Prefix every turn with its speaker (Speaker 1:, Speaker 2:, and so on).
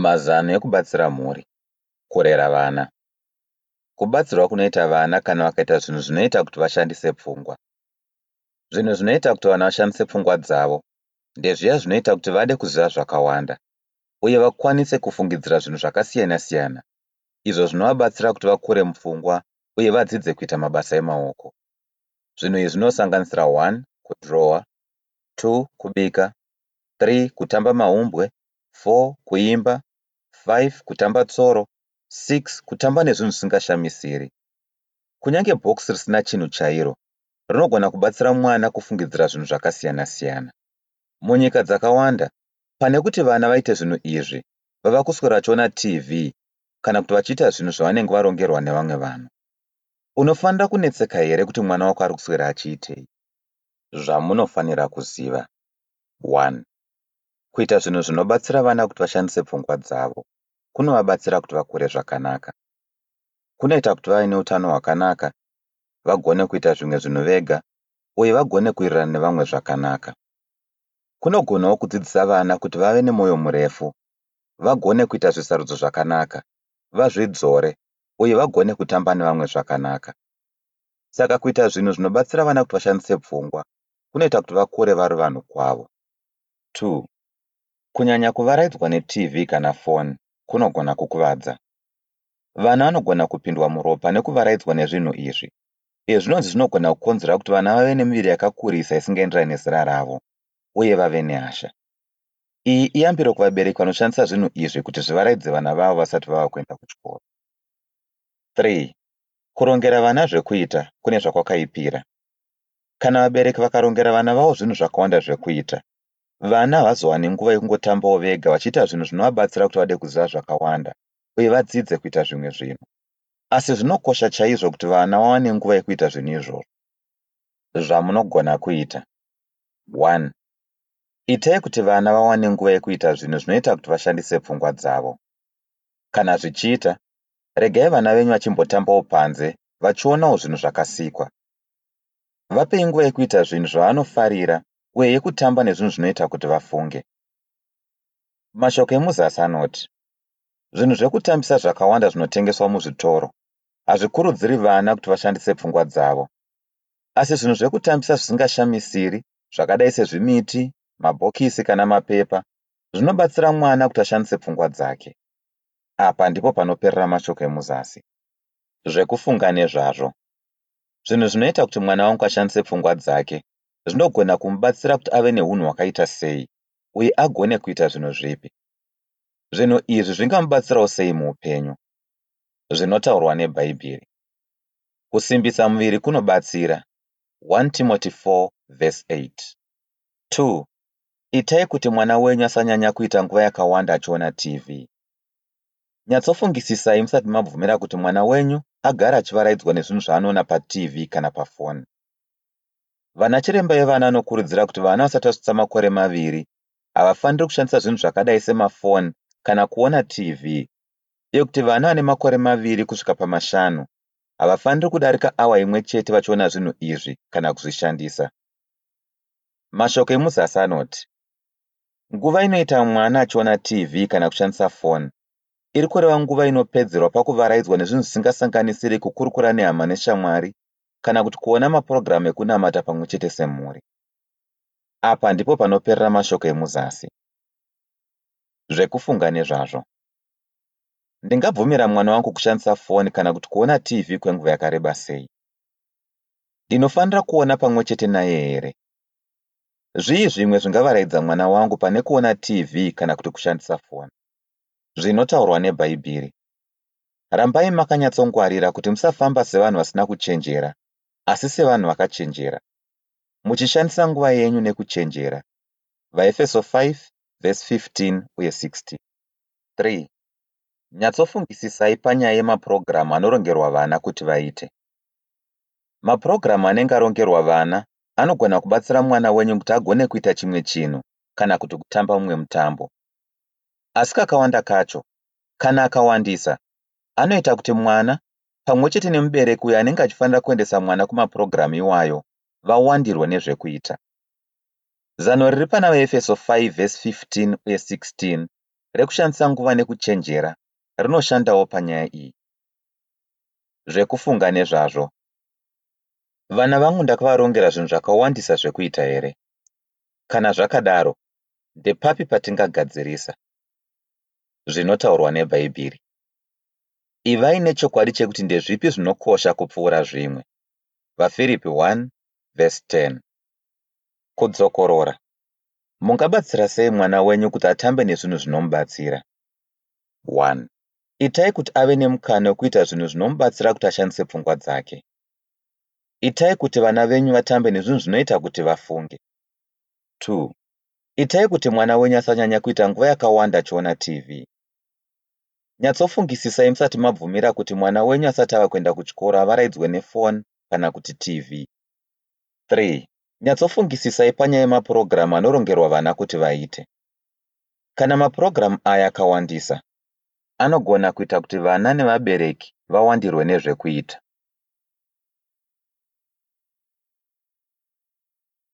Speaker 1: Mazano ekubatsira mhuri kurera vana. Kubatsirwa kunoita vana kana vakaita zvinhu zvinoita kuti vashandise pfungwa. Zvinhu zvinoita kuti vana vashandise pfungwa dzavo ndezviya zvinoita kuti vade kuziva zvakawanda uye vakwanise kufungidzira zvinhu zvakasiyana-siyana izvo zvinovabatsira kuti vakure mupfungwa uye vadzidze kuita mabasa emaoko. Zvinhu izvi zvinosanganisira 1 kudhirowa, 2 kubika, 3 kutamba mahumbwe, 4 kuimba, 5 kutamba tsoro, 6 kutamba nezvinhu zvisingashamisiri. Kunyange bhokisi risina chinhu chairo rinogona kubatsira mwana kufungidzira zvinhu zvakasiyana-siyana. Munyika dzakawanda, pane kuti vana vaite zvinhu izvi, vava kuswera vachiona TV kana kuti vachiita zvinhu zvavanenge varongerwa nevamwe vanhu. Unofanira kunetseka here kuti mwana wako ari kuswera achiitei? Zvamunofanira kuziva. 1. Kuita zvinhu zvinobatsira vana kuti vashandise pfungwa dzavo kunovabatsira kuti vakure zvakanaka. Kunoita kuti vave neutano hwakanaka, vagone kuita zvimwe zvinhu vega uye vagone kuwirirana nevamwe zvakanaka. Kunogonawo kudzidzisa vana kuti vave nemwoyo murefu, vagone kuita zvisarudzo zvakanaka, vazvidzore uye vagone kutamba nevamwe zvakanaka. Saka kuita zvinhu zvinobatsira vana kuti vashandise pfungwa kunoita kuti vakure vari vanhu kwavo. 2. Kunyanya kuvaraidzwa neTV kana foni kunogona kukuvadza. Vana vanogona kupindwa muropa nekuvaraidzwa nezvinhu izvi. Izvi zvinonzi zvinogona kukonzera kuti vana vave nemiviri yakakurisa isingaenderani nezera ravo uye vave nehasha. Iyi iyambiro kuvabereki vanoshandisa zvinhu izvi kuti zvivaraidze vana vavo vasati vava kuenda kuchikoro. 3. Kurongera vana zvekuita kune zvakwakaipira. Kana vabereki vakarongera vana vavo zvinhu zvakawanda zvekuita, vana havazowani nguva yekungotambawo vega vachiita zvinhu zvinovabatsira kuti vade kuziva zvakawanda uye vadzidze kuita zvimwe zvinhu. Asi zvinokosha chaizvo kuti vana vawane nguva yekuita zvinhu izvozvo. Zvamunogona kuita. 1. Itai kuti vana vawane nguva yekuita zvinhu zvinoita kuti vashandise pfungwa dzavo. Kana zvichiita, regai vana venyu vachimbotambawo panze vachionawo zvinhu zvakasikwa. Vapei nguva yekuita zvinhu zvavanofarira uye yekutamba nezvinhu zvinoita kuti vafunge. Mashoko emuzasi anoti, Zvinhu zvekutambisa zvakawanda zvinotengeswa muzvitoro hazvikurudziri vana kuti vashandise pfungwa dzavo. Asi zvinhu zvekutambisa zvisingashamisiri zvakadai sezvimiti, mabhokisi kana mapepa zvinobatsira mwana kuti ashandise pfungwa dzake. Apa ndipo panoperera mashoko emuzasi. Zvekufunga nezvazvo. Zvinhu zvinoita kuti mwana wangu ashandise pfungwa dzake zvinogona kumubatsira kuti ave neunhu hwakaita sei uye agone kuita zvinhu zvipi? Zvinhu izvi zvingamubatsirawo sei muupenyu? Zvinotaurwa neBhaibheri. Kusimbisa muviri kunobatsira. 1 Timothy 4 vhesi 8. 2. Itai kuti mwana wenyu asanyanya kuita nguva yakawanda achiona TV. Nyatsofungisisai musati mabvumira kuti mwana wenyu agare achivaraidzwa nezvinhu zvaanoona paTV kana pafoni. Vanachiremba vevana vanokurudzira kuti vana vasati vasvitsa makore maviri havafaniri kushandisa zvinhu zvakadai semafoni kana kuona TV uye kuti vana vane makore maviri kusvika pamashanu havafaniri kudarika awa imwe chete vachiona zvinhu izvi kana kuzvishandisa. Mashoko emuzasi anoti, Nguva inoita mwana achiona TV kana kushandisa foni iri kureva nguva inopedzerwa pakuvaraidzwa nezvinhu zvisingasanganisiri kukurukura nehama neshamwari kana kuti kuona mapurogiramu ekunamata pamwe chete semhuri. Apa ndipo panoperera mashoko emuzasi. Zvekufunga nezvazvo. Ndingabvumira mwana wangu kushandisa foni kana kuti kuona TV kwenguva yakareba sei? Ndinofanira kuona pamwe chete naye here? Zvii zvimwe zvingavaraidza mwana wangu pane kuona TV kana kuti kushandisa foni? Zvinotaurwa neBhaibheri. Rambai makanyatsongwarira kuti musafamba sevanhu vasina kuchenjera, asi sevanhu vakachenjera, muchishandisa nguva yenyu nekuchenjera. VaEfeso 5 vhesi 15 uye 16. 3. Nyatsofungisisai panyaya yemapurogiramu anorongerwa vana kuti vaite. Mapurogiramu anenge arongerwa vana anogona kubatsira mwana wenyu kuti agone kuita chimwe chinhu kana kuti kutamba mumwe mutambo. Asi kakawanda kacho, kana akawandisa, anoita kuti mwana, pamwe chete nemubereki uyo anenge achifanira kuendesa mwana kumapurogiramu iwayo, vawandirwe nezvekuita. Zano riri pana VaEfeso 5 vhesi 15 uye 16 rekushandisa nguva nekuchenjera rinoshandawo panyaya iyi. Zvekufunga nezvazvo. Vana vangu ndakavarongera zvinhu zvakawandisa zvekuita here? Kana zvakadaro, ndepapi patingagadzirisa? Zvinotaurwa neBhaibheri. Ivai nechokwadi chekuti ndezvipi zvinokosha kupfuura zvimwe. VaFiripi 1 vhesi 10. Kudzokorora. Mungabatsira sei mwana wenyu kuti atambe nezvinhu zvinomubatsira? 1. Itai kuti ave nemukana wekuita zvinhu zvinomubatsira kuti ashandise pfungwa dzake. Itai kuti vana venyu vatambe nezvinhu zvinoita kuti vafunge. 2. Itai kuti mwana wenyu asanyanya kuita nguva yakawanda achiona TV. Nyatsofungisisai musati mabvumira kuti mwana wenyu asati ava kuenda kuchikoro avaraidzwe nefoni kana kuti TV. 3. Nyatsofungisisai panyaya yemapurogiramu anorongerwa vana kuti vaite. Kana mapurogiramu aya akawandisa, anogona kuita kuti vana nevabereki vawandirwe nezvekuita.